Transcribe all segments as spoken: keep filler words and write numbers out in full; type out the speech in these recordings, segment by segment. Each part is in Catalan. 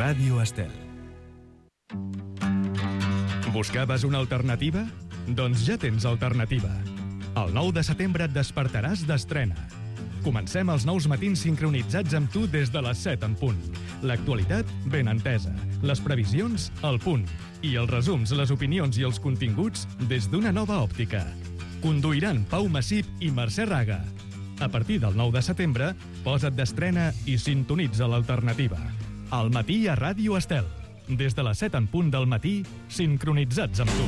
Ràdio Estel. Buscaves una alternativa? Doncs ja tens alternativa. El nou de setembre et despertaràs d'estrena. Comencem els nous matins sincronitzats amb tu des de les set en punt. L'actualitat ben entesa, les previsions al punt i els resums, les opinions i els continguts des d'una nova òptica. Conduiran Pau Massip i Mercè Raga. A partir del nou de setembre, posa't d'estrena i sintonitza l'alternativa. Al matí a Ràdio Estel. Des de les set en punt del matí, sincronitzats amb tu.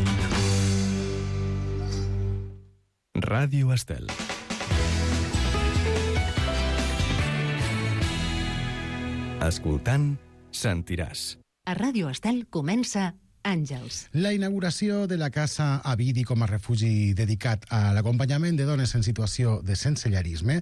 Ràdio Estel. Escoltant, sentiràs. A Ràdio Estel comença Àngels. La inauguració de la Casa Avidi com a refugi dedicat a l'acompanyament de dones en situació de sensellarisme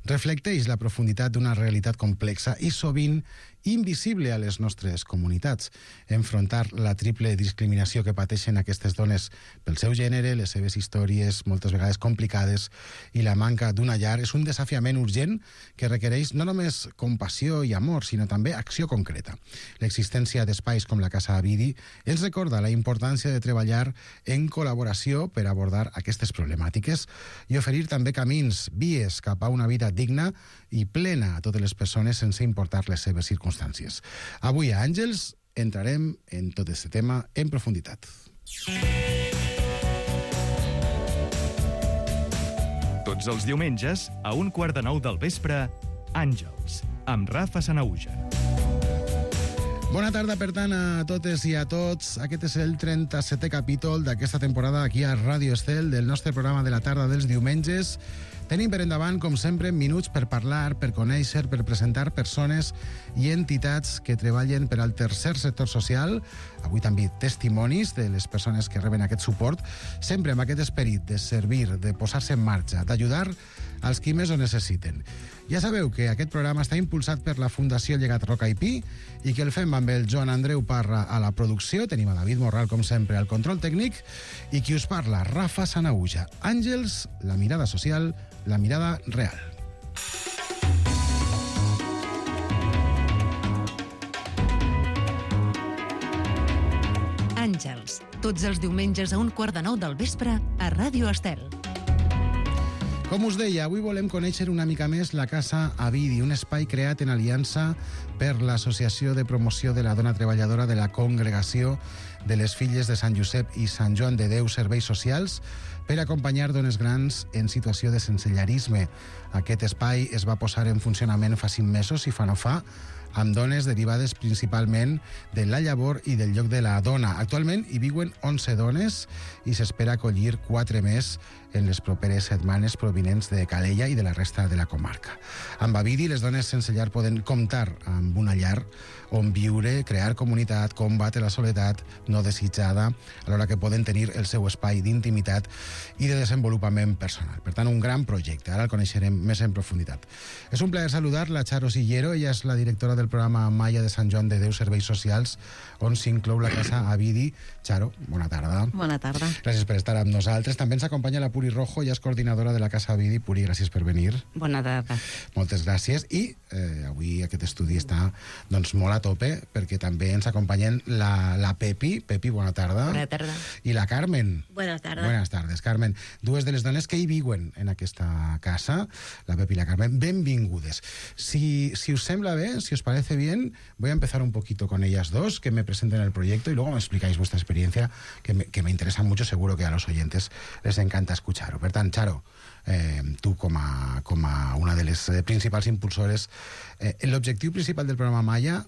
reflecteix la profunditat d'una realitat complexa i sovint invisible a les nostres comunitats. Enfrontar la triple discriminació que pateixen aquestes dones pel seu gènere, les seves històries moltes vegades complicades i la manca d'una llar és un desafiament urgent que requereix no només compassió i amor, sinó també acció concreta. L'existència d'espais com la Casa Avidi ens recorda la importància de treballar en col·laboració per abordar aquestes problemàtiques i oferir també camins, vies cap a una vida digna i plena a totes les persones sense importar les seves circumstàncies. Avui a Àngels entrarem en tot aquest tema en profunditat. Tots els diumenges, a un quart de nou del vespre, Àngels, amb Rafa Sanahuja. Bona tarda, per tant, a totes i a tots. Aquest és el trenta-setè capítol d'aquesta temporada aquí a Ràdio Estel, del nostre programa de la tarda dels diumenges. Tenim per endavant, com sempre, minuts per parlar, per conèixer, per presentar persones i entitats que treballen per al tercer sector social. Avui també testimonis de les persones que reben aquest suport, sempre amb aquest esperit de servir, de posar-se en marxa, d'ajudar als qui més ho necessiten. Ja sabeu que aquest programa està impulsat per la Fundació Llegat Roca i Pi i que el fem amb el Joan Andreu Parra a la producció, tenim a David Morral, com sempre, al control tècnic, i qui us parla, Rafa Sanahuja. Àngels, la mirada social, la mirada real. Àngels, tots els diumenges a un quart de nou del vespre a Ràdio Estel. Com us deia, avui volem conèixer una mica més la Casa Avidi, un espai creat en aliança per l'Associació de Promoció de la Dona Treballadora de la Congregació de les Filles de Sant Josep i Sant Joan de Déu Serveis Socials per acompanyar dones grans en situació de sensellarisme. Aquest espai es va posar en funcionament fa cinc mesos i fa no fa, amb dones derivades principalment de la llavor i del lloc de la dona. Actualment hi viuen onze dones i s'espera acollir quatre més en les properes setmanes provinents de Calella i de la resta de la comarca. Amb Avidi, les dones sense llar poden comptar amb una llar on viure, crear comunitat, combatre la soledat no desitjada, alhora que poden tenir el seu espai d'intimitat i de desenvolupament personal. Per tant, un gran projecte. Ara el coneixerem més en profunditat. És un plaer saludar la Charo Sillero. Ella és la directora del programa Maya de Sant Joan de Déu Serveis Socials, on s'inclou la Casa Avidi. Charo, bona tarda. Bona tarda. Gràcies per estar amb nosaltres. També ens acompanya la Puri Rojo, ella és coordinadora de la Casa Avidi. Puri, gràcies per venir. Bona tarda. Moltes gràcies. I eh, avui aquest estudi està doncs, molt a tope, perquè també ens acompanyen la, la Pepi. Pepi, bona tarda. Bona tarda. I la Carmen. Bona tarda. Buenas tardes, Carmen. Dues de les dones que hi viuen en aquesta casa, la Pepi i la Carmen, benvingudes. Si, si us sembla bé, si os parece bien, voy a empezar un poquito con ellas dos, que me presenten el proyecto y luego me explicáis vuestra experiencia, que me, que me interesa mucho, seguro que a los oyentes les encanta escuchar-ho. Per tant, Charo, eh, tu com a, com a una de les principals impulsores, eh, l'objectiu principal del programa Maya,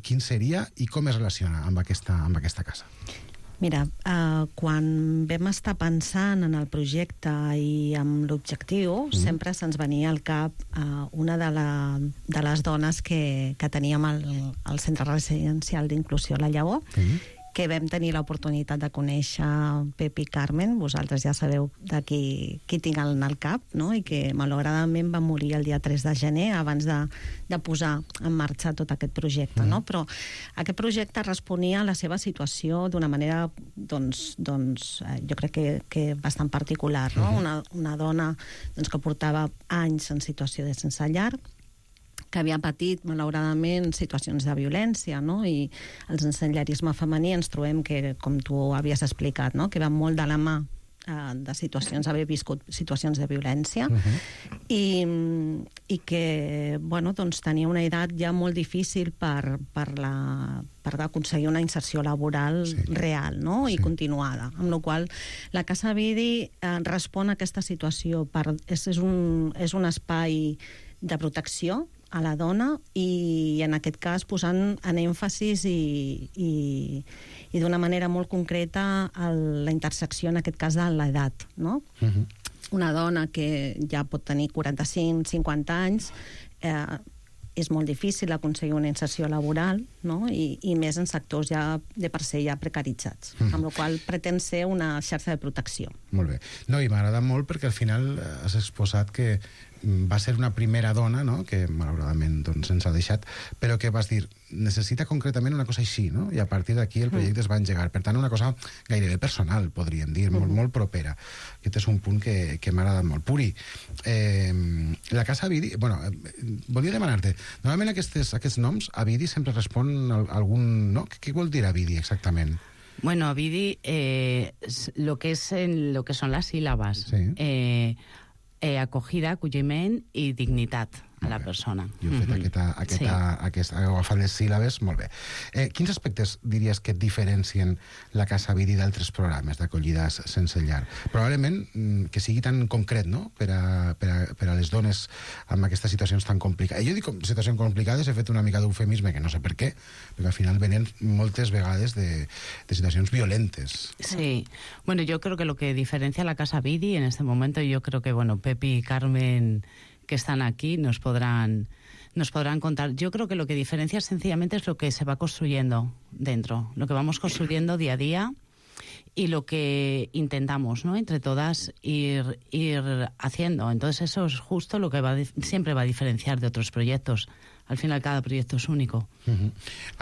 quin seria i com es relaciona amb aquesta, amb aquesta casa? Mira, eh, quan vam estar pensant en el projecte i amb l'objectiu, mm. sempre se'ns venia al cap eh, una de, la, de les dones que, que teníem al, al Centre Residencial d'Inclusió La Llavor, mm. que vam tenir l'oportunitat de conèixer Pep i Carmen. Vosaltres ja sabeu de qui, qui tinc al, al cap, no? I que malauradament va morir el dia tres de gener abans de, de posar en marxa tot aquest projecte, mm. no? Però aquest projecte responia a la seva situació d'una manera, doncs, doncs jo crec que, que bastant particular, no? Mm-hmm. Una, una dona doncs, que portava anys en situació de sense llar, que havia patit, malauradament, situacions de violència, no? I el sensellarisme femení ens trobem que, com tu havies explicat, no? Que va molt de la mà eh, de situacions, haver viscut situacions de violència, uh-huh. i, i que, bueno, doncs tenia una edat ja molt difícil per, per, la, per aconseguir una inserció laboral sí. real, no? Sí. I continuada. Amb la qual la Casa Vidi eh, respon a aquesta situació. Per, és, és, un, és un espai de protecció a la dona i en aquest cas posant en èmfasis i, i, i d'una manera molt concreta el, la intersecció en aquest cas de l'edat, no? Uh-huh. Una dona que ja pot tenir quaranta-cinc cinquanta anys eh, és molt difícil aconseguir una inserció laboral, no? I, i més en sectors ja de per ser ja precaritzats, mm. amb la qual pretén ser una xarxa de protecció. Molt bé. No, i m'agrada molt perquè al final has exposat que va ser una primera dona, no?, que malauradament doncs, ens ha deixat, però que vas dir, necessita concretament una cosa així, no? I a partir d'aquí el projecte mm. es va engegar. Per tant, una cosa gairebé personal, podríem dir, mm. molt, molt propera. Aquest és un punt que, que m'ha agradat molt. Puri, eh, la Casa Vidi... Bueno, eh, volia demanar-te, normalment aquestes, aquests noms, a Vidi sempre respon a algun... No? Què vol dir a Vidi, exactament? Bueno, a Vidi, eh, lo que es en, lo que son las sílabas. Sí. Eh, Eh, acogida, acolliment i dignitat a la persona. Jo he fet mm-hmm. aquesta, aquesta, sí. aquesta, he agafat les síl·labes, molt bé. Eh, quins aspectes diries que et diferencien la Casa Vidi d'altres programes d'acollida sense llar? Probablement que sigui tan concret, no?, per a, per a, per a les dones amb aquestes situacions tan complicades. Jo dic situacions complicades, he fet una mica d'eufemisme, que no sé per què, perquè al final venen moltes vegades de, de situacions violentes. Sí. Bueno, yo creo que lo que diferencia a la Casa Vidi en este momento, yo creo que, bueno, Pepi y Carmen, que están aquí, nos podrán, nos podrán contar. Yo creo que lo que diferencia sencillamente es lo que se va construyendo dentro, lo que vamos construyendo día a día y lo que intentamos, ¿no?, entre todas ir, ir haciendo. Entonces eso es justo lo que va, siempre va a diferenciar de otros proyectos. Al final cada proyecto és únic. Uh-huh.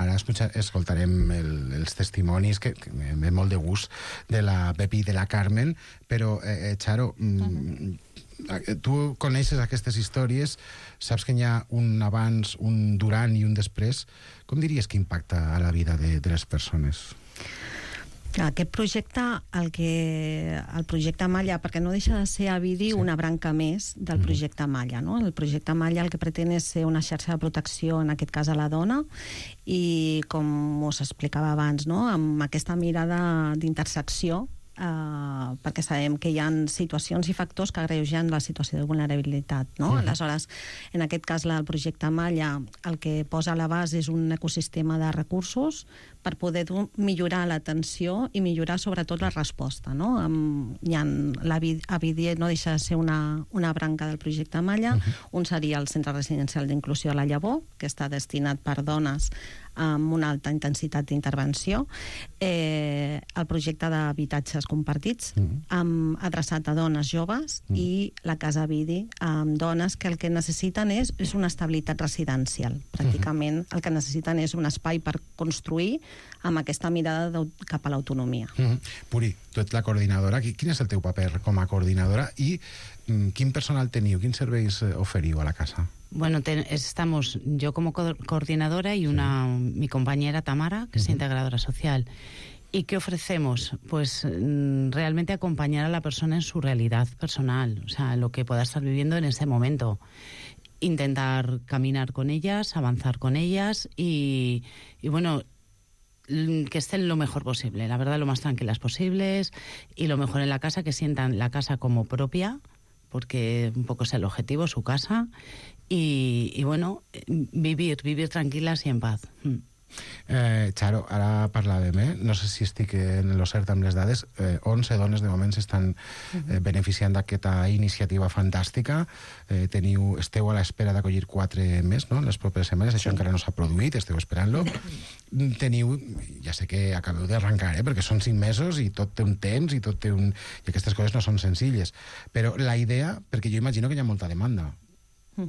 Ara escoltarem el, els testimonis que, que em ve molt de gust de la Pepi i de la Carmen, però, eh, Charo, uh-huh. tu coneixes aquestes històries, saps que hi ha un abans, un durant i un després. Com diries que impacta a la vida de, de les persones? Aquest projecte, el, que, el projecte Malla, perquè no deixa de ser a Vidi sí. una branca més del projecte Malla, no? El projecte Malla el que pretén és ser una xarxa de protecció, en aquest cas a la dona, i com us explicava abans, no?, amb aquesta mirada d'intersecció, Uh, perquè sabem que hi ha situacions i factors que agreugen la situació de vulnerabilitat, no? Uh-huh. Aleshores, en aquest cas, el projecte Malla el que posa a la base és un ecosistema de recursos per poder millorar l'atenció i millorar sobretot la resposta, no? Um, hi ha, la a Vidi no deixa de ser una, una branca del projecte Malla. Uh-huh. Un seria el Centre Residencial d'Inclusió de la Llavor, que està destinat per dones amb una alta intensitat d'intervenció, eh, el projecte d'habitatges compartits, mm. amb, adreçat a dones joves, mm. i la Casa Vidi amb dones que el que necessiten és, és una estabilitat residencial. Pràcticament mm-hmm. el que necessiten és un espai per construir amb aquesta mirada cap a l'autonomia. Mm-hmm. Puri, tu ets la coordinadora. Quin és el teu paper com a coordinadora i mm, quin personal teniu, quins serveis oferiu a la casa? Bueno, te, estamos yo como co coordinadora y una sí. mi compañera Tamara, que uh-huh. es integradora social. ¿Y qué ofrecemos? Pues realmente acompañar a la persona en su realidad personal, o sea, lo que pueda estar viviendo en ese momento. Intentar caminar con ellas, avanzar con ellas y, y bueno, que estén lo mejor posible, la verdad, lo más tranquilas posibles y lo mejor en la casa, que sientan la casa como propia, porque un poco es el objetivo, su casa. Y, y bueno, vivir, vivir tranquilas y en paz. Mm. Eh, Charo, ara parlàvem, eh? No sé si estic en lo cert amb les dades, eh, onze dones de moment s'estan eh, beneficiant d'aquesta iniciativa fantàstica. Eh, teniu, esteu a l'espera d'acollir quatre més, no?, en les properes setmanes. Això sí. encara no s'ha produït, esteu esperant-lo. Teniu, ja sé que acabeu d'arrencar, eh, perquè són cinc mesos i tot té un temps i tot té un... i aquestes coses no són senzilles. Però la idea, perquè jo imagino que hi ha molta demanda,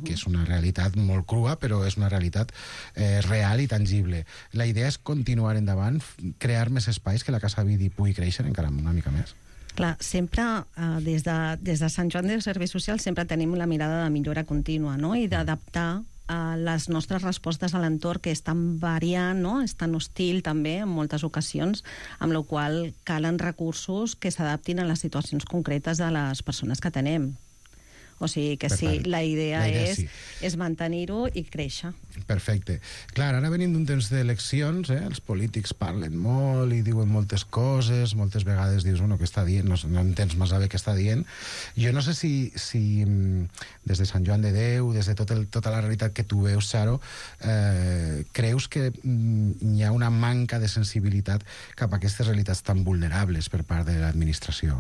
que és una realitat molt crua, però és una realitat eh, real i tangible. La idea és continuar endavant, crear més espais, que la Casa Vidi pugui créixer encara una mica més. Clar, sempre, eh, des, de, des de Sant Joan de Serveis Socials, sempre tenim la mirada de millora contínua, no?, i d'adaptar uh, les nostres respostes a l'entorn, que és tan variant, no? És tan hostil també en moltes ocasions, amb la qual calen recursos que s'adaptin a les situacions concretes de les persones que tenem. O sigui que sí, la idea, la idea és, sí. és mantenir-ho i créixer. Perfecte. Clar, ara venim d'un temps d'eleccions, eh? Els polítics parlen molt i diuen moltes coses, moltes vegades dius, bueno, què està dient? No, no entens massa bé què està dient. Jo no sé si, si des de Sant Joan de Déu, des de tot el, tota la realitat que tu veus, Charo, eh, creus que mm, hi ha una manca de sensibilitat cap a aquestes realitats tan vulnerables per part de l'administració?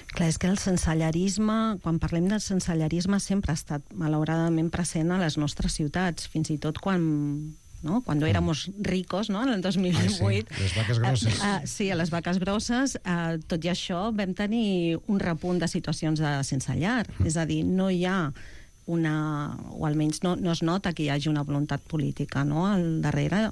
Clar, és que el sensellarisme, quan parlem del sensellarisme, sempre ha estat malauradament present a les nostres ciutats, fins i tot quan, no? Quan éramos ricos, no? En el dos mil divuit. Ah, sí, les vaques grosses. Uh, uh, sí, a les vaques grosses. Uh, tot i això, vam tenir un repunt de situacions de sense llar. Mm. És a dir, no hi ha una... o almenys no, no es nota que hi hagi una voluntat política, no? Al darrere,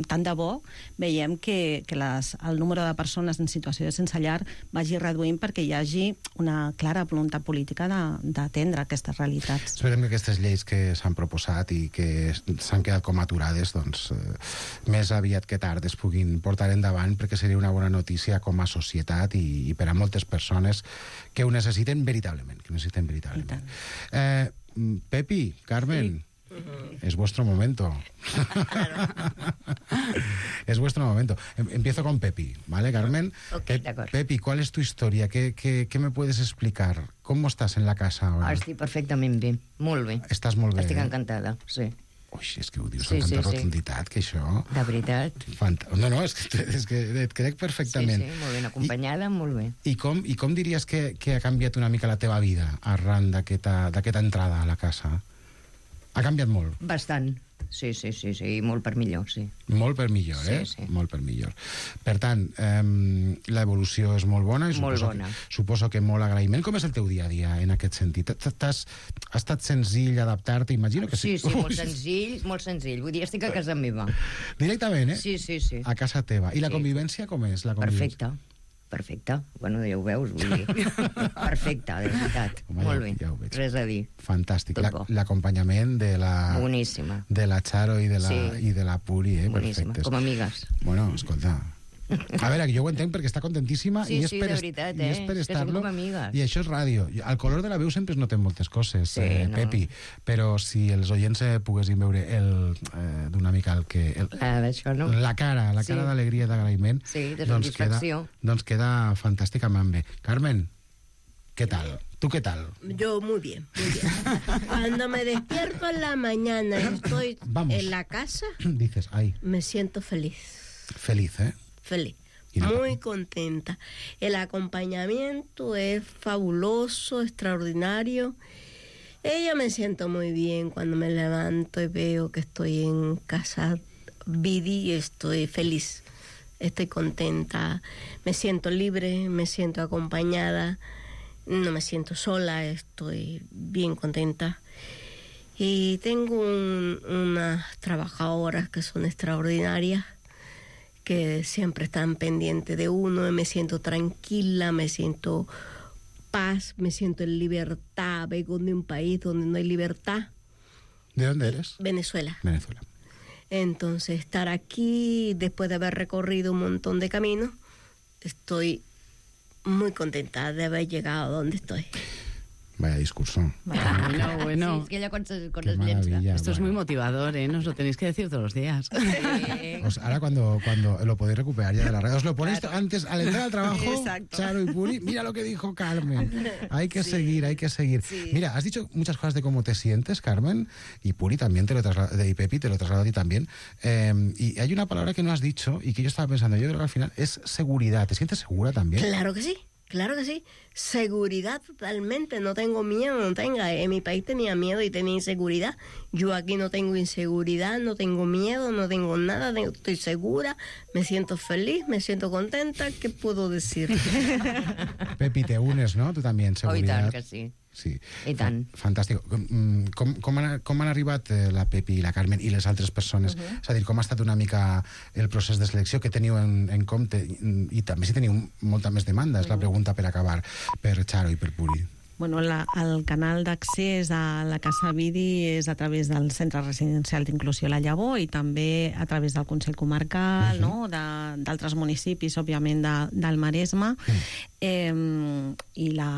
tant de bo, veiem que, que les, el número de persones en situació de sense llar vagi reduint perquè hi hagi una clara voluntat política d'atendre aquestes realitats. Esperem que aquestes lleis que s'han proposat i que s'han quedat com aturades, doncs, eh, més aviat que tard es puguin portar endavant, perquè seria una bona notícia com a societat i, i per a moltes persones que ho necessiten veritablement, que ho necessiten veritablement. Eh, Pepi, Carmen... Sí. Uh-huh. Es vuestro momento. Claro. Es vuestro momento. Empiezo con Pepi, ¿vale, Carmen? Okay, Pe Pepi, ¿cuál es tu historia? ¿Qué, qué, ¿Qué me puedes explicar? ¿Cómo estás en la casa ahora? Estic perfectament bé, molt bé. Estàs molt bé. Estic eh? encantada, sí. Ui, és que ho dius sí, amb tanta sí, rotunditat, sí. Que això... De veritat. Fant... No, no, és que, és que et crec perfectament. Sí, sí, molt ben acompanyada, I, molt bé. I com, i com diries que, que ha canviat una mica la teva vida arran d'aquesta entrada a la casa? Ha canviat molt? Bastant, sí, sí, sí, sí, molt per millor, sí. Molt per millor, eh? Sí, sí. Molt per millor. Per tant, eh, l'evolució és molt bona i molt suposo, bona. Que, suposo que molt agraïment. Com és el teu dia a dia en aquest sentit? T'has, ha estat senzill adaptar-te? Imagino que sí. Sí, sí, molt senzill, molt senzill. Vull dir, estic a casa meva. Directament, eh? Sí, sí, sí. A casa teva. I la sí. convivència com és? La convivència? Perfecte. Perfecte. Bueno, ja ho veus, vull dir. Perfecte, de veritat. Home, molt ja, bé. Ja ho veig. Res a dir. Fantàstic. L'acompanyament de la... Boníssima. De la Charo i de la, sí. i de la Puri, eh? Boníssima, perfectes. com amigues. Bueno, escolta... A veure, jo ho entenc perquè està contentíssima sí, i és sí, per, de veritat, eh? i és per estar-lo. I això és ràdio. El color de la veu sempre es noten moltes coses, sí, eh, no. Pepi, però si els oients eh, poguessin veure el, eh, d'una mica el que... El, ah, això, no? La cara, la cara sí. d'alegria i d'agraïment. Sí, de doncs satisfacció. Queda, doncs queda fantàsticament bé. Carmen, ¿qué tal? ¿Tú qué tal? Yo muy bien, muy bien. Cuando me despierto en la mañana y estoy Vamos. en la casa, dices, ay. me siento feliz. Feliz, ¿eh? Feliz. Muy contenta. El acompañamiento es fabuloso, extraordinario. Ella me siento muy bien cuando me levanto y veo que estoy en casa Vidi y estoy feliz. Estoy contenta. Me siento libre, me siento acompañada. No me siento sola, estoy bien contenta. Y tengo un, unas trabajadoras que son extraordinarias, que siempre están pendientes de uno, y me siento tranquila, me siento paz, me siento en libertad. Vengo de un país donde no hay libertad. ¿De dónde eres? Venezuela. Venezuela. Entonces, estar aquí, después de haber recorrido un montón de caminos, estoy muy contenta de haber llegado a donde estoy. Vaya discurso. Bueno, bueno. Sí, es que ella con, con Qué los lienzos. Esto es muy motivador, ¿eh? Nos lo tenéis que decir todos los días. Sí. Pues ahora cuando, cuando lo podéis recuperar ya de la red, os lo ponéis claro. antes, al entrar al trabajo, Exacto. Charo y Puri, mira lo que dijo Carmen. Hay que sí. seguir, hay que seguir. Sí. Mira, has dicho muchas cosas de cómo te sientes, Carmen, y Puri también, te lo traslado, y Pepi, te lo traslado a ti también. Eh, y hay una palabra que no has dicho y que yo estaba pensando, yo creo que al final es seguridad. ¿Te sientes segura también? Claro que sí. Claro que sí, seguridad totalmente, no tengo miedo, no tenga, en mi país tenía miedo y tenía inseguridad, yo aquí no tengo inseguridad, no tengo miedo, no tengo nada, tengo, estoy segura, me siento feliz, me siento contenta, ¿qué puedo decir? Pepi, te unes, ¿no? Tú también, seguridad. Oh, i tant que sí. Sí. I tant. Fantàstic. Com, com, han, com han arribat la Pepi i la Carmen i les altres persones? Uh-huh. És a dir, com ha estat una mica el procés de selecció que teniu en, en compte? I també si teniu molta més demanda, és uh-huh. la pregunta per acabar, per Charo i per Puri. Bueno, la, el canal d'accés a la Casa Vidi és a través del Centre Residencial d'Inclusió La Llavor i també a través del Consell Comarcal, uh-huh. no? d'altres municipis, òbviament, de, del Maresme. Uh-huh. Eh, I la,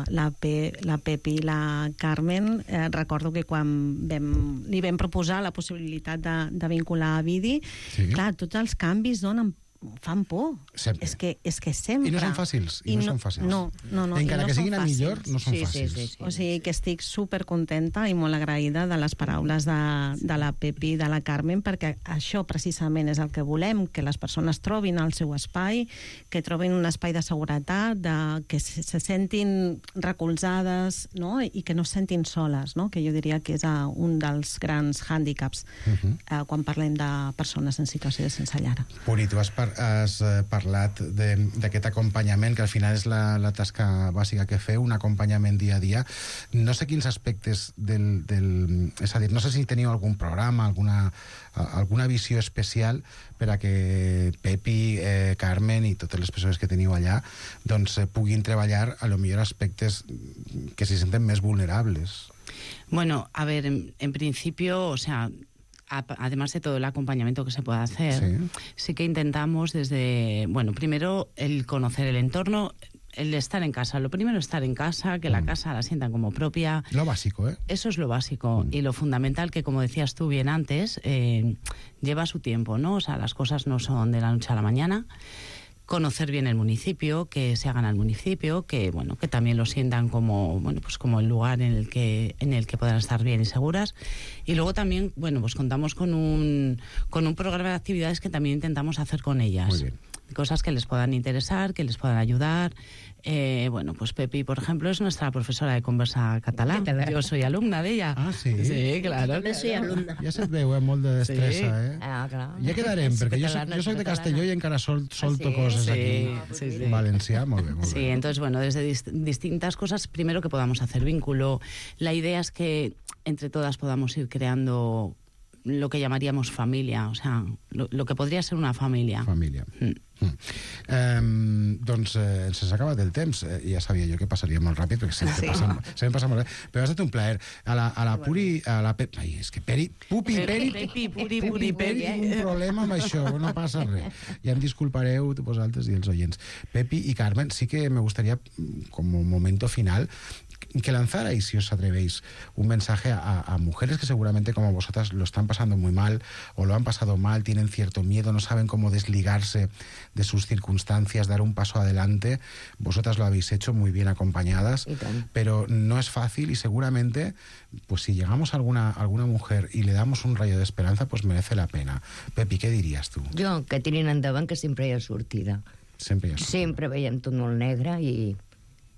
la, Pe, la Pepi i la Carmen, eh, recordo que quan vam, li vam proposar la possibilitat de, de vincular a Vidi, sí. clar, tots els canvis donen fan por. Sempre. És que, és que sempre. I no són fàcils. I, I no, no són fàcils. No, no, no. Encara no que siguin a millor, no són sí, fàcils. Sí, sí, sí. O sigui que estic supercontenta i molt agraïda de les paraules de, de la Pepi i de la Carmen, perquè això precisament és el que volem, que les persones trobin el seu espai, que trobin un espai de seguretat, de, que se, se sentin recolzades, no? I que no se sentin soles, no? Que jo diria que és uh, un dels grans hàndicaps uh-huh. uh, quan parlem de persones en situació de sense llar. Puri, tu has, par has uh, parlat d'aquest acompanyament, que al final és la, la tasca bàsica que feu, un acompanyament dia a dia. No sé quins aspectes del... del és a dir, no sé si teniu algun programa, alguna, alguna visió especial per a que Pepi, eh, Carmen i totes les persones que teniu allà doncs eh, puguin treballar a lo millor aspectes que se senten més vulnerables. Bueno, a ver, en, en principio, o sea, además de todo el acompañamiento que se pueda hacer, sí. sí que intentamos desde, bueno, primero el conocer el entorno, el estar en casa. Lo primero es estar en casa, que mm. la casa la sientan como propia. Lo básico, ¿eh? Eso es lo básico. Mm. Y lo fundamental, que como decías tú bien antes, eh, lleva su tiempo, ¿no? O sea, las cosas no son de la noche a la mañana. Conocer bien el municipio, que se hagan al municipio, que bueno, que también lo sientan como, bueno, pues como el lugar en el que en el que puedan estar bien y seguras. Y luego también, bueno, pues contamos con un con un programa de actividades que también intentamos hacer con ellas. Muy bien. Cosas que les puedan interesar, que les puedan ayudar. Eh, bueno, pues Pepi, por ejemplo, es nuestra profesora de conversa catalán. Yo soy alumna de ella. Ah, sí? Sí, claro. També soy alumna. Ja se't veu, eh? Molt de destressa, sí. eh? Ah, clar. Ja quedarem, perquè jo soc, jo soc de Castelló i encara sol, solto sí? coses sí, aquí. Sí, sí. Valencià, molt bé, molt Sí, bé. entonces, bueno, desde dist distintas cosas, primero que podamos hacer vínculo. La idea es que entre todas podamos ir creando lo que llamaríamos familia, o sea, lo, lo que podría ser una familia. Família. Mm. Mm. Um, doncs eh, ens s'ha acabat el temps. Eh, ja sabia jo que passaria molt ràpid, perquè sempre, sí. passa, sempre passa molt bé. Però ha estat un plaer. A la, a la Puri... A la Pe... Ai, és que Peri... Pupi, Peri... Pepi, Puri, Pupi, Puri, Peri, Peri. tinc un problema amb això, no passa res. Ja em disculpareu vosaltres i els oients. Pepi i Carmen, sí que me gustaría, como momento final, que lanzarais, si os atrevéis, un mensaje a, a mujeres que seguramente como vosotras lo están pasando muy mal o lo han pasado mal, tienen cierto miedo, no saben cómo desligarse de sus circunstancias, dar un paso adelante. Vosotras lo habéis hecho muy bien acompañadas, pero no es fácil y seguramente, pues si llegamos a alguna, alguna mujer y le damos un rayo de esperanza, pues merece la pena. Pepi, què diries tu? Jo, que tirin endavant, que sempre hi ha sortida. Sempre hi ha sortida. Sempre veiem tot molt negre i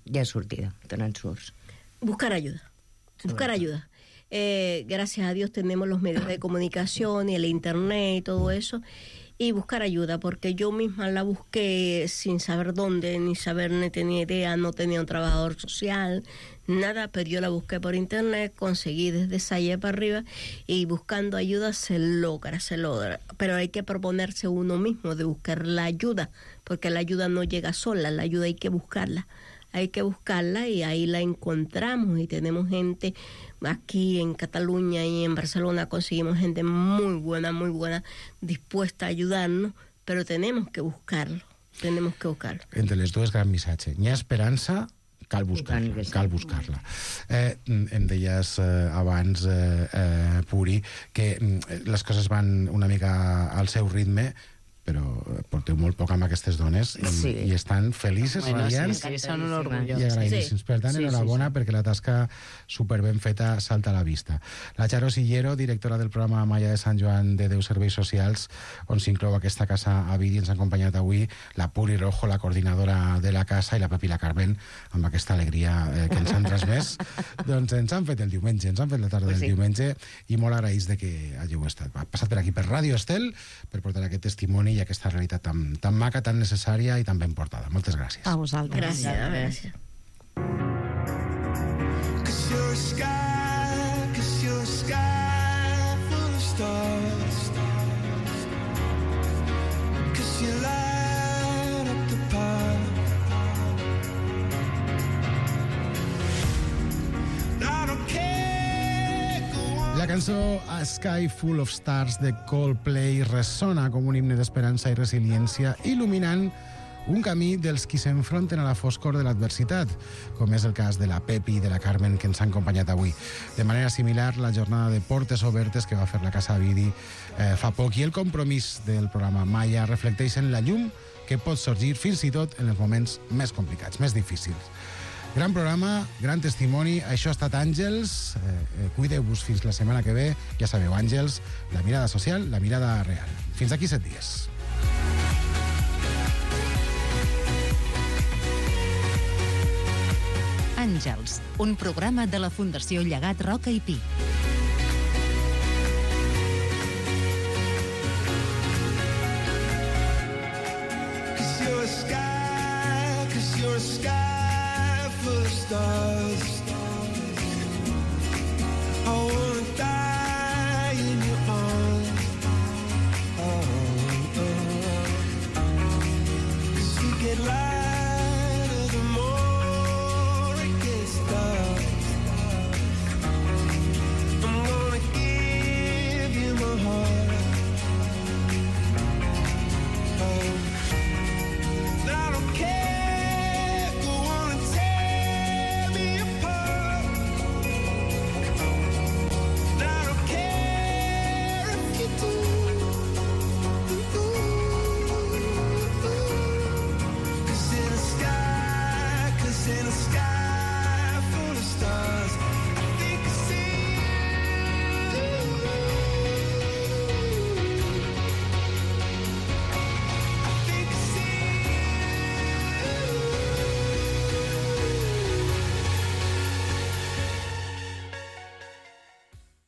hi ha sortida, te n'en surts. Buscar ayuda, buscar ayuda. Eh, gracias a Dios tenemos los medios de comunicación y el internet y todo eso, y buscar ayuda, porque yo misma la busqué sin saber dónde, ni saber, ni tenía idea, no tenía un trabajador social, nada, pero yo la busqué por internet, conseguí desde Salle para arriba, y buscando ayuda se logra, se logra, pero hay que proponerse uno mismo de buscar la ayuda, porque la ayuda no llega sola, la ayuda hay que buscarla. Hay que buscarla y ahí la encontramos y tenemos gente aquí en Cataluña y en Barcelona, conseguimos gente muy buena, muy buena, dispuesta a ayudarnos, però tenemos que buscarlo, tenemos que buscarlo. Entre les dues, gran missatge. N'hi ha esperança, cal buscar-la, cal buscar-la. Eh, em deies eh, abans, eh, eh, Puri, que eh, les coses van una mica al seu ritme, però porteu molt poc amb aquestes dones i, sí. i estan felices, bueno, radiants sí, sí, són un orgull. i agraïdíssims. Sí. Per tant, sí, enhorabona sí, sí. perquè la tasca superben feta salta a la vista. La Charo Sillero, directora del programa Malla de Sant Joan de Déu Serveis Socials, on s'inclou aquesta casa a Vidi, ens ha acompanyat avui la Puri Rojo, la coordinadora de la casa, i la Pepi la Carmen, amb aquesta alegria eh, que ens han transmès. Doncs ens han fet el diumenge, ens han fet la tarda del sí. diumenge, i molt agraïts de que hàgiu estat. Ha passat per aquí per Ràdio Estel per portar aquest testimoni i aquesta realitat tan, tan maca, tan necessària i tan ben portada. Moltes gràcies. A vosaltres. Gràcies, gràcies. La cançó A Sky Full of Stars de Coldplay ressona com un himne d'esperança i resiliència, il·luminant un camí dels qui s'enfronten a la foscor de l'adversitat, com és el cas de la Pepi i de la Carmen, que ens han acompanyat avui. De manera similar, la jornada de portes obertes que va fer la Casa Vidi eh, fa poc i el compromís del programa Maya reflecteixen la llum que pot sorgir fins i tot en els moments més complicats, més difícils. Gran programa, gran testimoni. Això ha estat Àngels. Eh, eh, Cuideu-vos fins la setmana que ve. Ja sabeu, Àngels, la mirada social, la mirada real. Fins aquí set dies. Àngels, un programa de la Fundació Llegat Roca i Pi. Cause you're a sky, cause you're a sky full of stars.